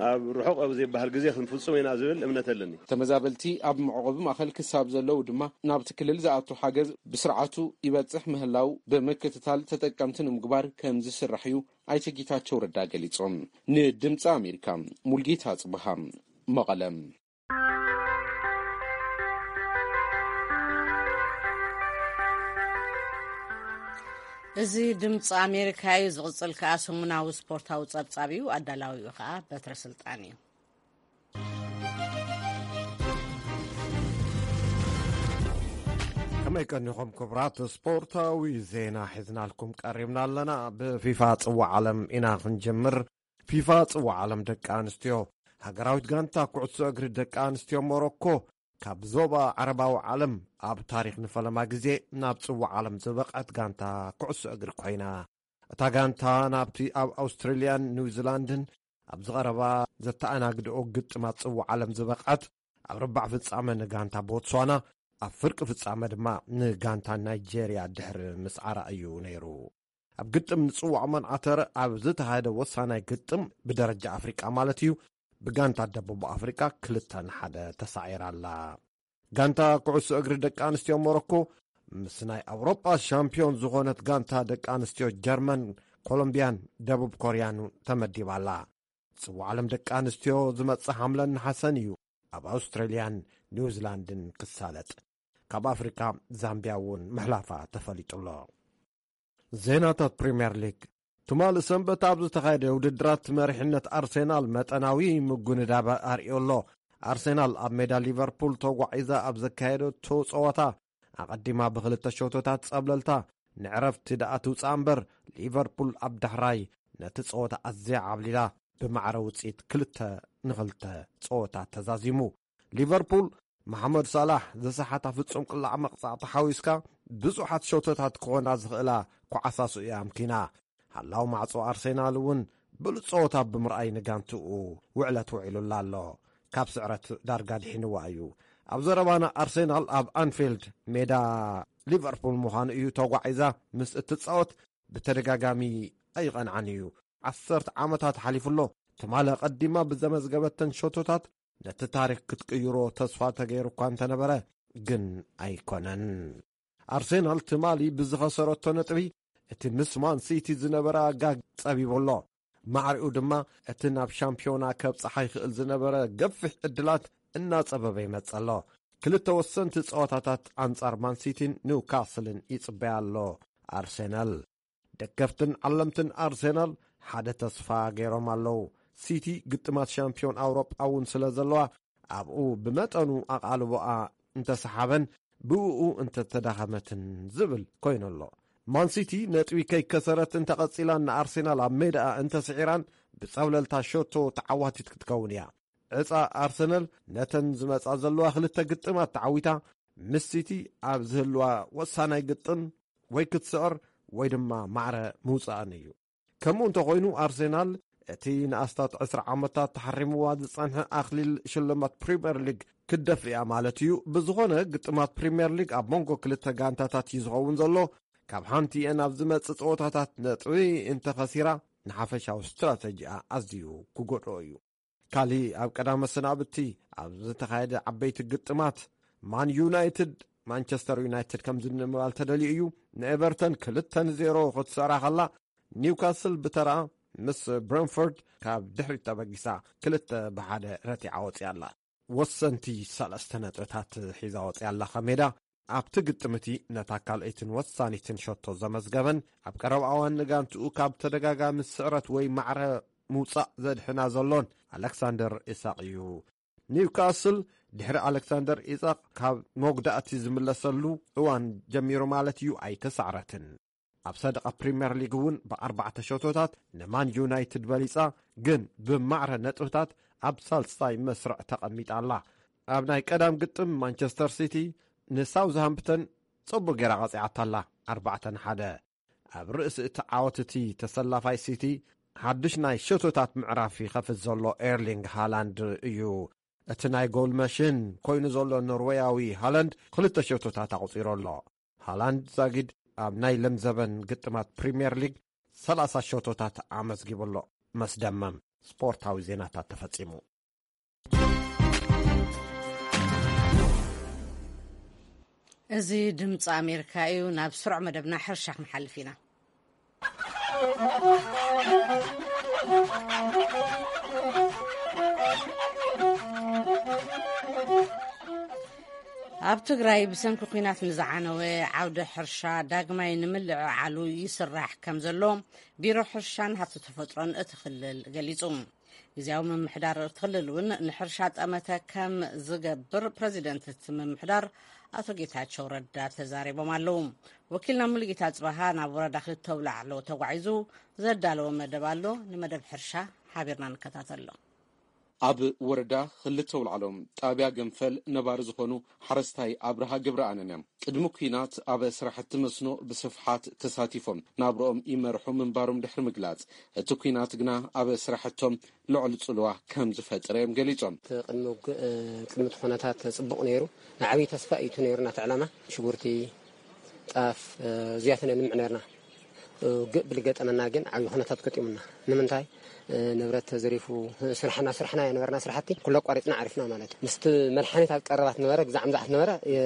ኣብ ርሑቕ ኣብ ዘይበሃል ግዜ ክንፍጽሞ ኢና ዝብል እምነት ኣለኒ። ተመዛበልቲ ኣብ መዕቆቢ ማእኸል ክሳብ ዘለዉ ድማ ናብቲ ክልል ዝኣቱ ሓገዝ ብስርዓቱ ይበጽሕ ምህላው ብምክትታል ተጠቀምቲ ንምግባር ከም ዝስራሕ እዩ ኣይተ ጌታቸው ረዳ ገሊጾም። ንድምፂ ኣሜሪካ ሙልጌታ ጽብሃ መቐለ። እዚ ድምፂ ኣሜሪካ እዩ። ዝቕፅል ከኣ ሰሙናዊ ስፖርታዊ ጸብጻብ እዩ። ኣዳላዊኡ ከኣ በትረ ስልጣን እዩ። ከመይ ቀኒኹም ክቡራት? ስፖርታዊ ዜና ሒዝናልኩም ቀሪብና ኣለና። ብፊፋ ጽዋዕ ዓለም ኢና ክንጀምር። ፊፋ ጽዋዕ ዓለም ደቂ ኣንስትዮ፣ ሃገራዊት ጋንታ ኩዕሶ እግሪ ደቂ ኣንስትዮ ሞሮኮ፣ ካብ ዞባ ዓረባዊ ዓለም ኣብ ታሪኽ ንፈለማ ግዜ ናብ ጽዋዕ ዓለም ዝበቕዐት ጋንታ ኩዕሶ እግሪ ኮይና። እታ ጋንታ ናብቲ ኣብ ኣውስትራልያን ኒውዚላንድን ኣብ ዝቐረባ ዘተኣናግድኦ ግጥማት ጽዋዕ ዓለም ዝበቕዐት፣ ኣብ ርባዕ ፍጻመ ንጋንታ ቦትስዋና፣ ኣብ ፍርቂ ፍጻመ ድማ ንጋንታ ናይጄርያ ድሕሪ ምስዓራ እዩ ነይሩ። ኣብ ግጥም ንጽዋዕ መንዓተር ኣብ ዝተኻየደ ወሳናይ ግጥም ብደረጃ ኣፍሪቃ ማለት እዩ፣ ብጋንታ ደቡብ ኣፍሪቃ ክልተ ንሓደ ተሳዒራ ኣላ። ጋንታ ኩዕሶ እግሪ ደቂ ኣንስትዮ ሞሮኮ ምስ ናይ ኣውሮጳ ሻምፒዮን ዝኾነት ጋንታ ደቂ ኣንስትዮ ጀርመን፣ ኮሎምቢያን ደቡብ ኮርያን ተመዲባ ኣላ። ጽዋዕ ዓለም ደቂ ኣንስትዮ ዝመጽእ ሓምለን ነሓሰን እዩ ኣብ ኣውስትራልያን ኒውዚላንድን ክሳለጥ። ካብ ኣፍሪቃ ዛምቢያ እውን ምሕላፋ ተፈሊጡ ኣሎ። ዜናታት ፕሪምየር ሊግ። ትማሊ ሰንበት ኣብ ዝተኻየደ ውድድራት መሪሕነት ኣርሴናል መጠናዊ ምጉንዳብ ኣርእዮ ኣሎ። ኣርሴናል ኣብ ሜዳ ሊቨርፑል ተጓዒዛ ኣብ ዘካየደቶ ጸወታ፣ ኣቐዲማ ብኽልተ ሸቶታት ጸብለልታ ንዕረፍቲ ደኣ ትውጻእ እምበር፣ ሊቨርፑል ኣብ ዳሕራይ ነቲ ጸወታ ኣዝያ ዓብሊላ፣ ብማዕረ ውጽኢት ክልተ ንኽልተ ጸወታ ተዛዚሙ። ሊቨርፑል፣ መሓመድ ሳላሕ ዝሰሓታ ፍጹም ቅላዕ መቕጻዕቲ ሓዊስካ፣ ብዙሓት ሸቶታት ክኾና ዝኽእላ ኳዓሳሱ እያ ኣምኪና። ሃላው ማዕጾ ኣርሴናል እውን ብሉጽ ጸወታ ብምርኣይ ንጋንትኡ ውዕለት ውዒሉላ ኣሎ። ካብ ስዕረት ዳርጋ ድሒንዋ እዩ። ኣብ ዘረባና፣ ኣርሴናል ኣብ ኣንፊልድ፣ ሜዳ ሊቨርፑል ምዃኑ እዩ፣ ተጓዒዛ ምስ እትጻወት ብተደጋጋሚ ኣይቐንዓን እዩ። ዓሰርተ ዓመታት ሓሊፉ ኣሎ። ትማሊ ቀዲማ ብዘመዝገበተን ሸቶታት ነቲ ታሪኽ ክትቅይሮ ተስፋ ተገይሩ እኳ እንተነበረ፣ ግን ኣይኮነን። ኣርሴናል ትማሊ ብዝኸሰረቶ ነጥቢ፣ እቲ ምስ ማን ሲቲ ዝነበረ ኣጋግ ጸቢቡ ኣሎ። ማዕሪኡ ድማ፣ እቲ ናብ ሻምፒዮና ከብጽሓ ይኽእል ዝነበረ ገፊሕ ዕድላት እናጸበበ ይመጽእ ኣሎ። ክልተ ወሰንቲ ጸወታታት ኣንጻር ማን ሲቲን ኒውካስልን ይጽበያ ኣሎ ኣርሴናል። ደገፍትን ዓለምትን ኣርሴናል ሓደ ተስፋ ገይሮም ኣለዉ። ሲቲ ግጥማት ሻምፒዮን ኣውሮጳ እውን ስለ ዘለዋ፣ ኣብኡ ብመጠኑ ኣቓልቦኣ እንተሰሓበን፣ ብእኡ እንተተዳኸመትን ዝብል ኮይኑ ኣሎ። ማን ሲቲ ነጥቢ ከይከሰረት እንተቐጺላን ንኣርሴናል ኣብ ሜዳኣ እንተስዒራን፣ ብጸብለልታ ሸቶ ተዓዋቲት ክትከውን እያ። ዕጻ ኣርሰናል ነተን ዝመጻ ዘለዋ ክልተ ግጥማት ተዓዊታ፣ ምስ ሲቲ ኣብ ዝህልዋ ወሳናይ ግጥም ወይ ክትስዕር ወይ ድማ ማዕረ ምውጻእን እዩ። ከምኡ እንተኾይኑ፣ ኣርሰናል እቲ ንኣስታት ዕስራ ዓመታት ተሓሪምዋ ዝጸንሐ ኣኽሊል ሽልማት ፕሪምየር ሊግ ክትደፍእያ ማለት እዩ። ብዝኾነ፣ ግጥማት ፕሪምየር ሊግ ኣብ መንጎ ክልተ ጋንታታት እዩ ዝኸውን ዘሎ። ካብ ሓንቲ እየን ኣብ ዝመጽእ ጸወታታት ነጥቢ እንተኸሲራ፣ ንሓፈሻዊ ስትራተጂኣ ኣዝዩ ክጎድኦ እዩ። ካልእ ኣብ ቀዳመ ሰናብቲ ኣብ ዝተኻየደ ዓበይቲ ግጥማት፣ ማን ዩናይትድ፣ ማንቸስተር ዩናይትድ ከም ዝንባል ተደልዩ እዩ። ንኤቨርተን ክልተ ንዜሮ ክትስዕራ ከላ፣ ኒውካስል ብተራ ምስ ብረንፎርድ ካብ ድሕሪት ተበጊሳ ክልተ ብሓደ ረቲዓ ወፂኣ ኣላ። ወሰንቲ ሰለስተ ነጥብታት ሒዛ ወፂኣ ኣላ ካብ ሜዳ። ኣብቲ ግጥም እቲ ነታ ካልኣይትን ወሳኒትን ሸቶ ዘመዝገበን ኣብ ቀረባ እዋን ንጋንትኡ ካብ ተደጋጋሚ ስዕረት ወይ ማዕረ ምውጻእ ዘድሕና ዘሎን ኣሌክሳንደር ኢሳቕ እዩ። ኒውካስል ድሕሪ ኣሌክሳንደር ኢሳቕ ካብ መጉዳእቲ ዝምለሰሉ እዋን ጀሚሩ ማለት እዩ ኣይተሳዕረትን። ኣብ ሰደቓ ፕሪምየር ሊግ እውን ብኣርባዕተ ሸቶታት ንማን ዩናይትድ በሊጻ፣ ግን ብማዕረ ነጥብታት ኣብ ሳልሳይ መስርዕ ተቐሚጣ ኣላ። ኣብ ናይ ቀዳም ግጥም ማንቸስተር ሲቲ ንሳውዝሃምፕተን ጽቡቕ ጌራ ቀጺዓታ ኣላ፣ ኣርባዕተ ንሓደ። ኣብ ርእሲ እቲ ዓወት እቲ ተሰላፋይ ሲቲ ሓድሽ ናይ ሸቶታት ምዕራፍ ይኸፍት ዘሎ ኤርሊንግ ሃላንድ እዩ። እቲ ናይ ጎል መሽን ኮይኑ ዘሎ ኖርዌያዊ ሃላንድ ክልተ ሸቶታት ኣቑጺሩ ኣሎ። ሃላንድ ዛጊድ ኣብ ናይ ለምዘበን ግጥማት ፕሪምየር ሊግ ሰላሳ ሸቶታት ኣመዝጊቡ ኣሎ። መስደመም ስፖርታዊ ዜናታት ተፈጺሙ። እዚ ድምፂ ኣሜሪካ እዩ። ናብ ስሩዕ መደብና ሕርሻ ክንሓልፍ ኢና። ኣብ ትግራይ ብሰንኪ ኲናት ንዝዓነወ ዓውደ ሕርሻ ዳግማይ ንምልዕዓሉ ይስራሕ ከም ዘሎ ቢሮ ሕርሻን ሃብቲ ተፈጥሮን እቲ ክልል ገሊጹ። ግዝያዊ ምምሕዳር እቲ ክልል እውን ንሕርሻ ጠመተ ከም ዝገብር ፕረዚደንት እቲ ምምሕዳር ኣቶ ጌታቸው ረዳ ተዛሪቦም ኣለዉ። ወኪልና ሙሉጌታ ጽባሃ ናብ ወረዳ ክልተ ኣውላዕሎ ተጓዒዙ ዘዳለዎ መደብ ኣሎ። ንመደብ ሕርሻ ሓቢርና ንከታተሎ። ኣብ ወረዳ ክልተ ኣውላዕሎ ጣብያ ገንፈል ነባሪ ዝኾኑ ሓረስታይ ኣብርሃ ገብረኣንን እዮም። ቅድሚ ኲናት ኣብ ስራሕቲ መስኖ ብስፍሓት ተሳቲፎም ናብርኦም ይመርሑ ምንባሮም ድሕሪ ምግላጽ፣ እቲ ኲናት ግና ኣብ ስራሕቶም ልዑል ጽልዋ ከም ዝፈጠረ እዮም ገሊጾም። እቲ ቅድሚ ውግእ፣ እ፣ ቅድሚ እቲ ኩነታት ጽቡቕ ነይሩ። ንዓብዪ ተስፋ እዩ እቲ ነይሩና እቲ ዕላማ። ሽጉርቲ፣ ጣፍ፣ እ፣ እዚኣተን እየ ንምዕ ነርና። እ፣ ውግእ ብልገጠመና ግን ዓብዪ ኩነታት ገጢሙና። ንምንታይ? እ፣ ንብረት ተዘሪፉ፣ እ፣ ስራሕና፣ ስራሕና እየ ነበርና ስራሕቲ ኩሉ ኣቋሪጽና ዓሪፍና ማለት እዩ። ምስቲ መድሓኒት ኣብ ቀረባት ነበረ፣ ግዛዕ ምዛዕ ነበረ፣ የ-፣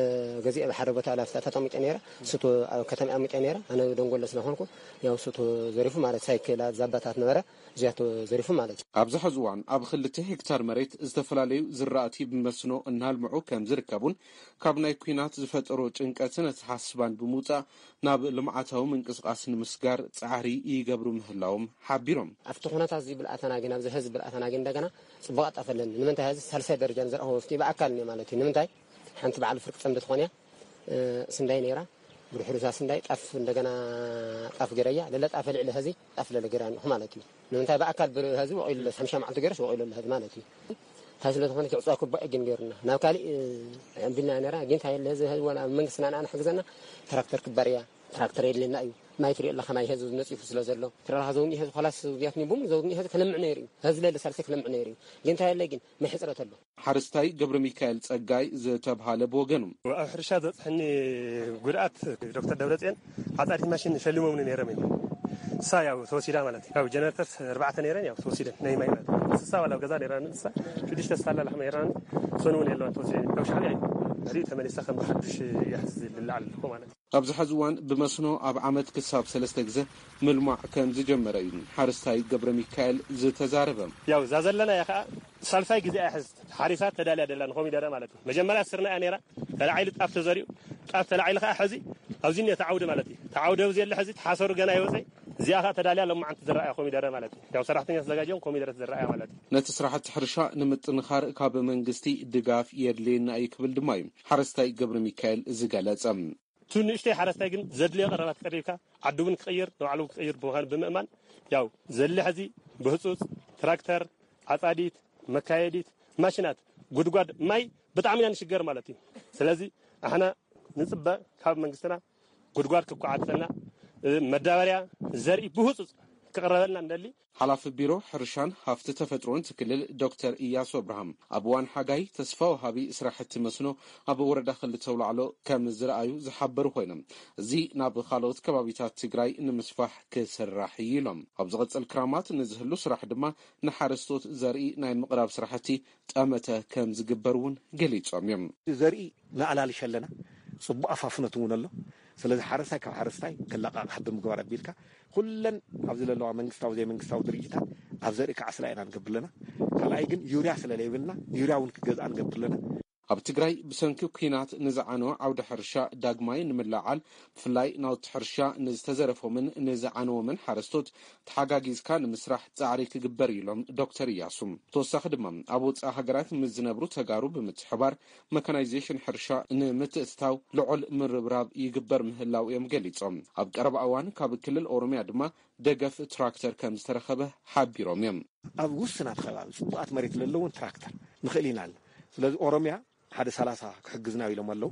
ገዚአ ብሓደ ቦታ ላፍታ ተጠሚጠ ነይረ። እሱ ተ-፣ ኣብ ከተማ ኣሚጠ ነይረ። ኣነ ደንጎሎ ስለኾንኩ፣ ያው እሱ ተዘሪፉ ማለት ሳይክላት፣ ዛባታት ነበረ። እዚኣ ተዘሪፉ ማለት እዩ። ኣብዚ ሕዚ እዋን ኣብ ክልተ ሄክታር መሬት ዝተፈላለዩ ዝራእቲ ብመስኖ እናልምዑ ከም ዝርከቡን ካብ ናይ ኲናት ዝፈጠሮ ጭንቀትን ኣተሓስባን ብምውፃእ ናብ ልምዓታዊ ምንቅስቃስ ንምስጋር ጋር ጻዕሪ ይገብሩ ምህላዎም ሓቢሮም። ኣብቲ ኩነታት እዚ ብልኣተና ግን፣ ኣብዚ ህዝቢ ብልኣተና ግን እንደገና ጽቡቕ ኣጣፈለኒ። ንምንታይ ህዚ ሳልሳይ ደረጃ ንዘርኣኹ ወፍቲ ብኣካል እኒኦ ማለት እዩ። ንምንታይ ሓንቲ በዓል ፍርቂ ጸምዲ ትኾን እያ፣ እ፣ ስንዳይ ነይራ፣ ብድሕሩ እዛ ስንዳይ ጣፍ እንደገና ጣፍ ገረያ፣ ለለ ጣፍ ልዕሊ ህዚ ጣፍ ለለ ገረያ ንኹ ማለት እዩ። ንምንታይ ብኣካል ብር-፣ ህዚ ወቒሉ ለስ ሓምሻ መዓልቲ ገረስ ወቒሉ ለህዚ ማለት እዩ። እንታይ ስለ ዝኾነ ክዕፅዋ ክባእ ግን ገይሩና ናብ ካሊእ፣ እ፣ ኣንቢልና ነራ። ግን እንታይ የለ ህዚ ህዚ ወላ መንግስትና ንዓና ሕግዘና ትራክተር ክባር እያ። ትራክተር የድልየና እዩ። ማይ ትሪኦ ኣለኻ፣ ማይ ህዝቢ ነፂፉ ስለ ዘሎ። ትረራ ዘውኒ ህዝቢ ኸላስ፣ ዚያትኒ ቡም ዘውኒ ህዝቢ ክለምዕ ነይሩ እዩ። ህዝቢ ለለ ሳልሰ ክለምዕ ነይሩ እዩ። ግን እንታይ የለ ግን ማይ ሕፅረት ኣሎ። ሓረስታይ ገብረ ሚካኤል ጸጋይ ዝተብሃለ ብወገኑ። ኣብ ሕርሻ ዘብፅሐኒ ጉድኣት ዶክተር ደብረፅዮን ዓፃዲት ማሽን ሸሊሞምኒ ነይሮም እዮም። እሳ ያው ተወሲዳ ማለት እዩ። ያው ጀነሬተርስ ኣርባዕተ ነይረን ያው ተወሲደን ናይ ማይ ማለት እዩ። እንስሳ ዋላ ኣብ ገዛ ነይራ እንስሳ ሽዱሽተ ስታላ ላሕሚ ነይራ። እሶን እውን የለዋን ተወሲደን። ያው ሻዕብያ እዩ። ድሕሪኡ ተመሊሳ ከም ብሓዱሽ እያ ሕዚ ልለዓል ኣለኹ ማለት እዩ። ኣብዚ ሐዚ እዋን ብመስኖ ኣብ ዓመት ክሳብ ሰለስተ ግዘ ምልማዕ ከም ዝጀመረ እዩ ሓረስታይ ገብረ ሚካኤል ዝተዛረበ። ያው እዛ ዘለና እያ ከዓ ሳልሳይ ግዜ እያ ሕዚ ሓሪሳ ተዳልያ ደላ ንኮሚደረ ማለት እዩ። መጀመርያ ስርና እያ ነይራ፣ ተላዒሉ ጣፍ ተዘሪኡ፣ ጣፍ ተላዒሉ ከዓ ሕዚ ኣብዚ እኒኦ ተዓውዲ ማለት እዩ። ተዓውዲ ኣብዚ የለ ሕዚ ተሓሰሩ ገና ይወፀይ። እዚኣ ከዓ ተዳልያ ሎማዓንቲ ዝረኣያ ኮሚደረ ማለት እዩ። ያው ሰራሕተኛ ተዘጋጅዮም ኮሚደረ ትዝረኣያ ማለት እዩ። ነቲ ስራሕቲ ሕርሻ ንምጥንኻር ካብ መንግስቲ ድጋፍ የድልየና እዩ ክብል ድማ እዩ ሓረስታይ ገብረ ሚካኤል ዝገለጸ። እቲ ንእሽተይ ሓረስታይ ግን ዘድልዮ ቀረባት ቀሪብካ፣ ዓዱ እውን ክቕይር፣ ንባዕሉ ክቕይር ብምዃኑ ብምእማን፣ ያው ዘሊ ሕዚ ብህጹጽ ትራክተር፣ ዓጻዲት፣ መካየዲት፣ ማሽናት፣ ጉድጓድ ማይ ብጣዕሚ ኢና ንሽገር ማለት እዩ። ስለዚ ኣሕና ንጽበ ካብ መንግስትና ጉድጓድ ክቋዓተልና፣ እ፣ መዳበርያ፣ ዘርኢ ብህጹጽ ክቕረበልና እንደሊ። ሓላፊ ቢሮ ሕርሻን ሃፍቲ ተፈጥሮን እቲ ክልል ዶክተር እያሱ ኣብርሃም፣ ኣብ እዋን ሓጋይ ተስፋ ወሃቢ ስራሕቲ መስኖ ኣብ ወረዳ ክልተ ኣውላዕሎ ከም ዝረኣዩ ዝሓበሩ ኮይኖም፣ እዚ ናብ ካልኦት ከባቢታት ትግራይ ንምስፋሕ ክስራሕ እዩ ኢሎም። ኣብ ዝቕጽል ክራማት ንዝህሉ ስራሕ ድማ ንሓረስቶት ዘርኢ ናይ ምቕራብ ስራሕቲ ጠመተ ከም ዝግበር እውን ገሊጾም እዮም። ዘርኢ ንኣላልሽ ኣለና፣ ጽቡቕ ኣፋፍኖት እውን ኣሎ። ስለዚ ሓረስታይ ካብ ሓረስታይ ክለቃቕሕ ብምግባር ኣቢልካ ኩለን ኣብዚ ዘለዋ መንግስታዊ ዘይመንግስታዊ ድርጅታት ኣብ ዘርኢ ክዓስላ ኢና ንገብር ኣለና። ካልኣይ ግን ዩርያ ስለ ዘይብልና ዩርያ እውን ክገዝኣ ንገብር ኣለና። ኣብ ትግራይ ብሰንኪ ኲናት ንዝዓነወ ዓውዲ ሕርሻ ዳግማይ ንምልዓል፣ ብፍላይ ናውቲ ሕርሻ ንዝተዘረፎምን ንዝዓነዎምን ሓረስቶት ተሓጋጊዝካ ንምስራሕ ጻዕሪ ክግበር እዩ ኢሎም ዶክተር እያሱ። ብተወሳኺ ድማ ኣብ ወጻኢ ሃገራት ምስ ዝነብሩ ተጋሩ ብምትሕባር መካናይዜሽን ሕርሻ ንምትእትታው ልዑል ምርብራብ ይግበር ምህላው እዮም ገሊጾም። ኣብ ቀረባ እዋን ካብ ክልል ኦሮሚያ ድማ ደገፍ ትራክተር ከም ዝተረኸበ ሓቢሮም እዮም። ኣብ ውስናት ከባቢ ጽቡቓት መሬት ለለውን ትራክተር ንኽእል ኢና ኣሎ። ስለዚ ኦሮሚያ ሓደ ሰላሳ ክሕግዝና ኢሎም ኣለዉ።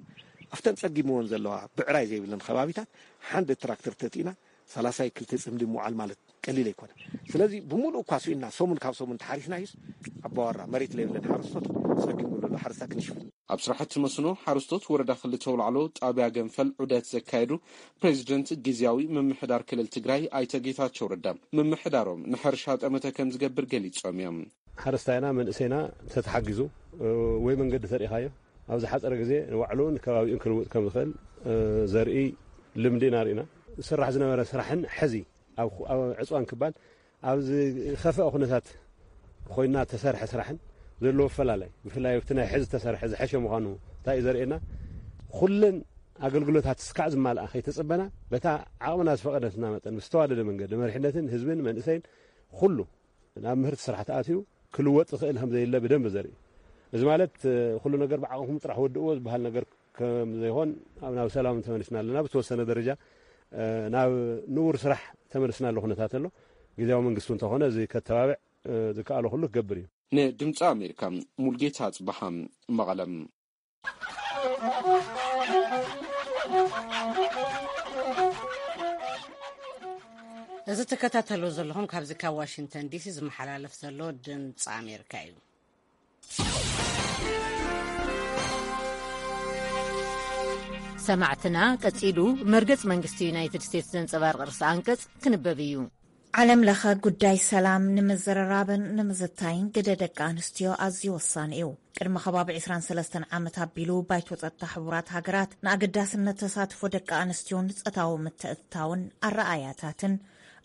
ኣብተን ጸጊምዎን ዘለዋ ብዕራይ ዘይብለን ከባቢታት ሓንደ ትራክተር ተቲእና ሰላሳ ክልተ ጽምዲ ምውዓል ማለት ቀሊል ኣይኮነን። ስለዚ ብምሉእ እኳ ስኢንና ሰሙን ካብ ሰሙን ተሓሪስና እዩስ ኣባወራ መሬት ለይብለን ሓረስቶት ጸጊሙ ዘሎ ሓረስታ ክንሽፍን። ኣብ ስራሕቲ መስኖ ሓረስቶት ወረዳ ክልተ ኣውላዕሎ ጣብያ ገንፈል ዑደት ዘካየዱ ፕሬዚደንት ግዝያዊ ምምሕዳር ክልል ትግራይ ኣይተ ጌታቸው ረዳ፣ ምምሕዳሮም ንሕርሻ ጠመተ ከም ዝገብር ገሊጾም እዮም። ሓረስታይና መንእሰይና ተተሓጊዙ፣ እ፣ ወይ መንገዲ ተሪኻዮ ኣብ ዝሓፀረ ግዜ ንባዕሉን ከባቢኡን ክልውጥ ከም ዝኽእል፣ እ፣ ዘርኢ ልምዲ ኢና ርኢና። ዝስራሕ ዝነበረ ስራሕን ሕዚ ኣብ፣ ኣብ ዕፅዋን ክባን ኣብ ዝኸፍአ ኩነታት ኮይና ተሰርሐ ስራሕን ዘለዎ ኣፈላላይ፣ ብፍላይ ኣብቲ ናይ ሕዚ ተሰርሐ ዝሐሸ ምዃኑ እንታይ እዩ ዘርእየና? ኩለን ኣገልግሎታት እስካዕ ዝማልኣ ከይተጸበና፣ በታ ዓቕምና ዝፈቐደትና መጠን ብዝተዋደደ መንገዲ መሪሕነትን ህዝብን መንእሰይን ኩሉ ናብ ምህርቲ ስራሕ ተኣትዩ ክልወጥ ዝኽእል ከም ዘየለ ብደንብ ዘርኢ። እዚ ማለት፣ እ፣ ኩሉ ነገር ብዓቕምኹም ጥራሕ ወድእዎ ዝበሃል ነገር ከም ዘይኾን ኣብ፣ ናብ ሰላም ተመሊስና ኣለና። ብተወሰነ ደረጃ፣ እ፣ ናብ ንቡር ስራሕ ተመሊስና ኣሎ ኩነታት ኣሎ። ግዝያዊ መንግስቲ እውን እንተኾነ እዚ ከተባብዕ፣ እ፣ ዝከኣሎ ኩሉ ክገብር እዩ። ንድምፂ ኣሜሪካ ሙልጌታ ኣፅበሃ መቐለም። እዚ ትከታተሉ ዘለኹም ካብዚ ካብ ዋሽንግተን ዲሲ ዝመሓላለፍ ዘሎ ድምፂ ኣሜሪካ እዩ። ሰማዕትና፣ ቀጺሉ መርገጽ መንግስቲ ዩናይትድ ስቴትስ ዘንጸባርቕ ርእሰ ኣንቀጽ ክንበብ እዩ። ዓለም ለኸ ጉዳይ ሰላም ንምዝርራብን ንምዝታይን ግደ ደቂ ኣንስትዮ ኣዝዩ ወሳኒ እዩ። ቅድሚ ከባቢ ዕስራን ሰለስተን ዓመት ኣቢሉ ባይቶ ጸጥታ ሕቡራት ሃገራት ንኣገዳስነት ተሳትፎ ደቂ ኣንስትዮን ጾታዊ ምትእትታውን ኣረኣእያታትን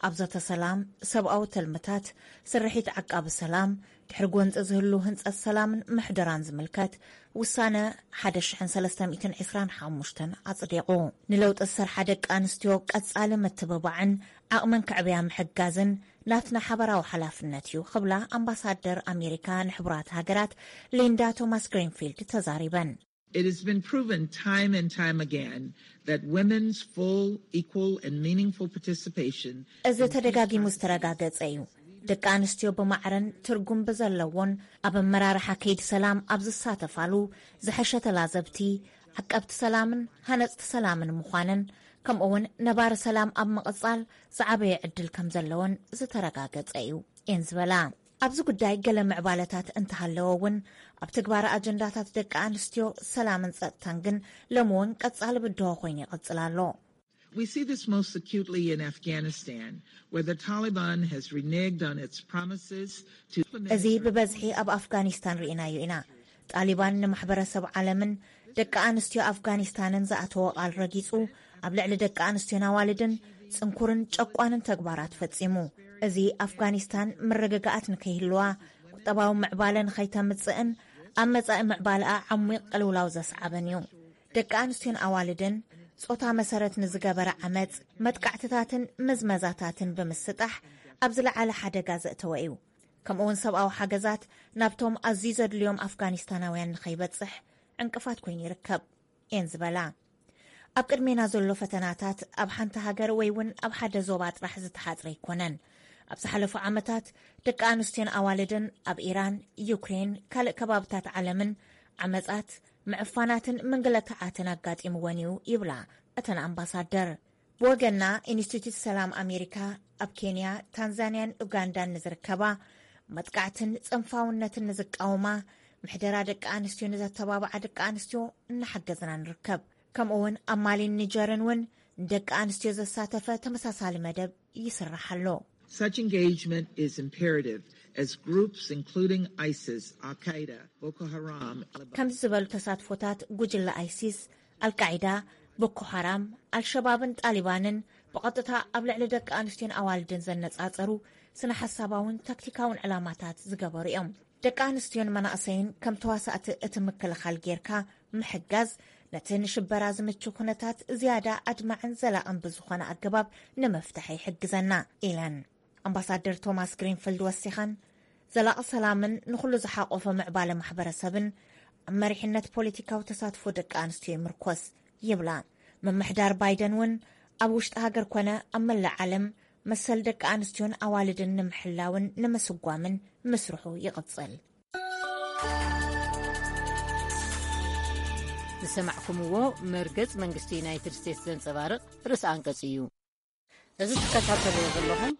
ኣብ ዘተ ሰላም፣ ሰብኣዊ ተልምታት፣ ስርሒት ዓቃቢ ሰላም፣ ድሕሪ ጎንፂ ዝህሉ ህንፀት ሰላምን ምሕደራን ዝምልከት ውሳነ ሓደ ሽሕን ሰለስተ ሚእትን ዕስራን ሓሙሽተን ኣፅዲቑ። ንለውጢ ዝሰርሓ ደቂ ኣንስትዮ ቀፃሊ ምትብባዕን ዓቕመን ክዕብያ ምሕጋዝን ናትና ሓበራዊ ሓላፍነት እዩ ክብላ ኣምባሳደር ኣሜሪካ ንሕቡራት ሃገራት ሊንዳ ቶማስ ግሪንፊልድ ተዛሪበን። It has been proven time and time again that women's full, equal, and meaningful participation እዚ ተደጋጊሙ ዝተረጋገጸ እዩ። ደቂ ኣንስትዮ ብማዕረን ትርጉም ብዘለዎን ኣብ ኣመራርሓ ከይዲ ሰላም ኣብ ዝሳተፋሉ ዝሐሸ ተላዘብቲ፣ ዓቀብቲ ሰላምን ሃነጽቲ ሰላምን ምዃነን፣ ከምኡ እውን ነባሪ ሰላም ኣብ ምቕጻል ዝዓበየ ዕድል ከም ዘለዎን ዝተረጋገጸ እዩ እየን ዝበላ። ኣብዚ ጉዳይ ገለ ምዕባለታት እንተሃለወ እውን፣ ኣብ ትግባረ ኣጀንዳታት ደቂ ኣንስትዮ ሰላምን ጸጥታን ግን ሎሚ እውን ቀጻሊ ብድሆ ኮይኑ ይቕጽል ኣሎ። We see this most acutely in Afghanistan, where the Taliban has reneged on its promises to implement እዚ ብበዝሒ ኣብ ኣፍጋኒስታን ርኢናዮ ኢና። ጣሊባን ንማሕበረሰብ ዓለምን ደቂ ኣንስትዮ ኣፍጋኒስታንን ዝኣተዎ ቃል ረጊጹ፣ ኣብ ልዕሊ ደቂ ኣንስትዮን ኣዋልድን ጽንኩርን ጨቋንን ተግባራት ፈጺሙ። እዚ ኣፍጋኒስታን ምርግጋኣት ንከይህልዋ፣ ቁጠባዊ ምዕባለ ንኸይተምጽእን ኣብ መጻኢ ምዕባለኣ ዓሚቕ ቅልውላው ዘስዓበን እዩ። ደቂ ኣንስትዮን ኣዋልድን ጾታ መሰረት ንዝገበረ ዓመጽ፣ መጥቃዕትታትን ምዝመዛታትን ብምስጣሕ ኣብ ዝለዓለ ሓደጋ ዘእተወ እዩ። ከምኡውን ሰብኣዊ ሓገዛት ናብቶም ኣዝዩ ዘድልዮም ኣፍጋኒስታናውያን ንኸይበጽሕ ዕንቅፋት ኮይኑ ይርከብ እየን ዝበላ። ኣብ ቅድሜና ዘሎ ፈተናታት ኣብ ሓንቲ ሃገር ወይ እውን ኣብ ሓደ ዞባ ጥራሕ ዝተሓጽረ ኣይኮነን። ኣብ ዝሓለፉ ዓመታት ደቂ ኣንስትዮን ኣዋልድን ኣብ ኢራን፣ ዩክሬን፣ ካልእ ከባብታት ዓለምን ዓመጻት፣ ምዕፋናትን ምንግልታዓትን ኣጋጢምወን እዩ ይብላ እተን ኣምባሳደር። ብወገና ኢንስቲትዩት ሰላም ኣሜሪካ ኣብ ኬንያ፣ ታንዛንያን ኡጋንዳን ንዝርከባ መጥቃዕትን ጽንፋውነትን ንዝቃወማ ምሕደራ ደቂ ኣንስትዮ ንዘተባብዓ ደቂ ኣንስትዮ እናሓገዝና ንርከብ። ከምኡ እውን ኣብ ማሊን ኒጀርን እውን ንደቂ ኣንስትዮ ዘሳተፈ ተመሳሳሊ መደብ ይስራሕ ኣሎ። Such engagement is imperative as groups including ISIS, Al-Qaeda, Boko Haram, ከምዚ ዝበሉ ተሳትፎታት ጉጅለ ኣይሲስ፣ ኣልቃዒዳ፣ ቦኮ ሓራም፣ ኣልሸባብን ጣሊባንን ብቐጥታ ኣብ ልዕሊ ደቂ ኣንስትዮን ኣዋልድን ዘነጻጸሩ ስነ ሓሳባውን ታክቲካውን ዕላማታት ዝገበሩ እዮም። ደቂ ኣንስትዮን መናእሰይን ከም ተዋሳእቲ እቲ ምክልኻል ጌርካ ምሕጋዝ፣ ነቲ ንሽበራ ዝምቹ ኩነታት ዝያዳ ኣድማዕን ዘላቕን ብዝኾነ ኣገባብ ንምፍታሕ ይሕግዘና ኢለን። ኣምባሳደር ቶማስ ግሪንፊልድ ወሲኸን፣ ዘላቒ ሰላምን ንኹሉ ዝሓቆፈ ምዕባለ ማሕበረሰብን ኣብ መሪሕነት ፖለቲካዊ ተሳትፎ ደቂ ኣንስትዮ ይምርኮስ ይብላ። ምምሕዳር ባይደን እውን ኣብ ውሽጢ ሃገር ኮነ ኣብ መላእ ዓለም መሰል ደቂ ኣንስትዮን ኣዋልድን ንምሕላውን ንምስጓምን ምስርሑ ይቕጽል። ዝሰማዕኩምዎ መርገጽ መንግስቲ ዩናይትድ ስቴትስ ዘንጸባርቕ ርእሰ ኣንቀጽ እዩ። እዚ ትከታተልዎ ዘለኹም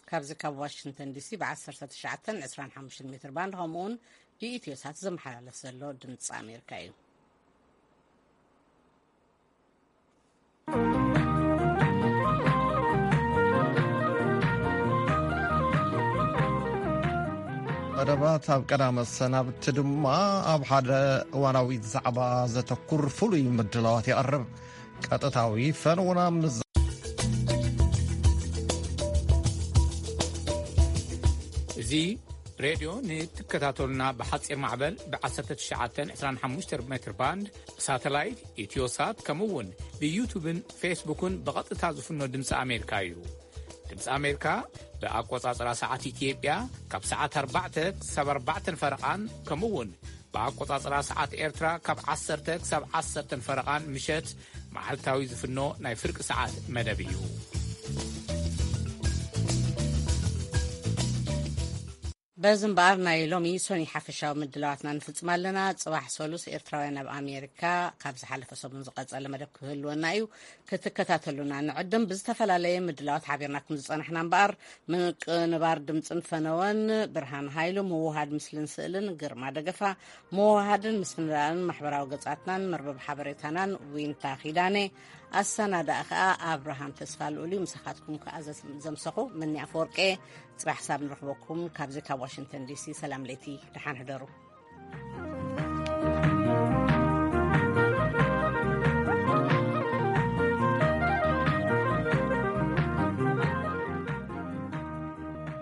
ካብዚ ካብ ዋሽንግተን ዲሲ ብ19 25 ሜትር ባንድ ከምኡውን ብኢትዮ ሳት ዝመሓላለፍ ዘሎ ድምፂ ኣሜሪካ እዩ። መደባት ኣብ ቀዳመ ሰናብቲ ድማ ኣብ ሓደ እዋናዊ ዛዕባ ዘተኩር ፍሉይ ምድላዋት ይቐርብ። ቀጥታዊ ፈነውና ምስ እዚ ሬድዮ ንትከታተሉና ብሓጺር ማዕበል ብ19 25 ሜትር ባንድ፣ ሳተላይት፣ ኢትዮሳት፣ ከምኡ እውን ብዩቱብን ፌስቡክን ብቐጥታ ዝፍኖ ድምፂ ኣሜሪካ እዩ። ድምፂ ኣሜሪካ ብኣቆጻጽራ ሰዓት ኢትዮጵያ ካብ ሰዓት ኣርባዕተ ክሳብ ኣርባዕተን ፈረቓን፣ ከምኡ እውን ብኣቆጻጽራ ሰዓት ኤርትራ ካብ ዓሰርተ ክሳብ ዓሰርተን ፈረቓን ምሸት መዓልታዊ ዝፍኖ ናይ ፍርቂ ሰዓት መደብ እዩ። በዚ እምበኣር ናይ ሎሚ ሶኒ ሓፈሻዊ ምድላዋትና ንፍጽም ኣለና። ጽባሕ ሰሉስ ኤርትራውያን ኣብ ኣሜሪካ ካብ ዝሓለፈ ሰሙን ዝቐጸለ መደብ ክህልወና እዩ። ክትከታተሉና ንዕድም። ብዝተፈላለየ ምድላዋት ሓቢርናኩም ዝጸናሕና እምበኣር፣ ምቅንባር ድምጽን ፈነወን ብርሃን ሃይሉ፣ ምውሃድ ምስልን ስእልን ግርማ ደገፋ፣ ምውሃድን ምስንዳእን ማሕበራዊ ገጻትናን መርበብ ሓበሬታናን ዊንታ ኪዳነ፣ ኣሰናዳእ ከኣ ኣብርሃም ተስፋ ልኡል እዩ። ምሳኻትኩም ከኣ ዘስ-፣ ዘምሰኹ ምኒ ኣፈወርቄ። ጽባሕ ሳብ ንረኽበኩም ካብዚ ካብ ዋሽንግተን ዲሲ። ሰላም ለይቲ፣ ደሓን ሕደሩ።